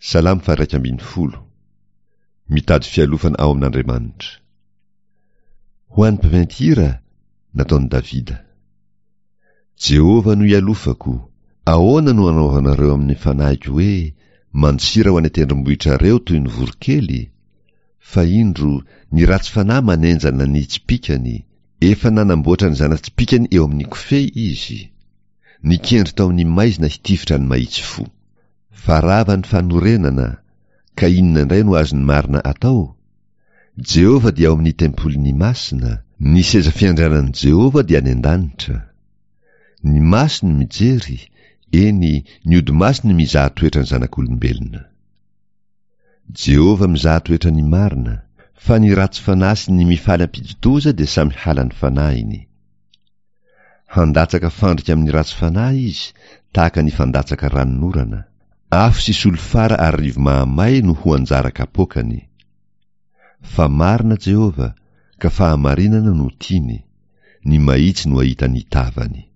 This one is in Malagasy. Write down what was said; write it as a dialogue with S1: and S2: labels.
S1: Salamo faha-11. Mitady fialofana ao amin'Andriamanitra. Ho an'ny mpiventy hira, nataon'i Davida. Jehovah no ialofako, ahoana no anaovanareo amin'ny fanahiko hoe, Mandosira ho any an-tendrombohitrareo toy ny voronkely? Fa indro, ny ratsy fanahy manenjana ny tsipìkany, efa nanamboatra ny zana-tsipìkany eo amin'ny kofehy izy. Nikendry tao amin'ny maizina hitifitra ny mahitsy fo. Fa rava ny fanorenana, ka inona indray no azon'ny marina atao? Jehovah dia ao amin'ny tempoliny masina, ny seza fiandrianan'i Jehovah dia any an-danitra. Ny masony mijery, eny, ny odi-masony mizaha toetra ny zanak'olombelona. Jehovah mizaha toetra ny marina, fa ny ratsy fanahy sy ny mifaly ampidi-doza dia samy halan'ny fanahiny. Handatsaka fandrika amin'ny ratsy fanahy izy, tahaka ny fandatsaka ranonorana. Afo sy solifara ary rivo-mahamay no ho anjara kapoakany. Fa marina Jehovah, ka fahamarinana no tiany, ny mahitsy no hahita ny tavany.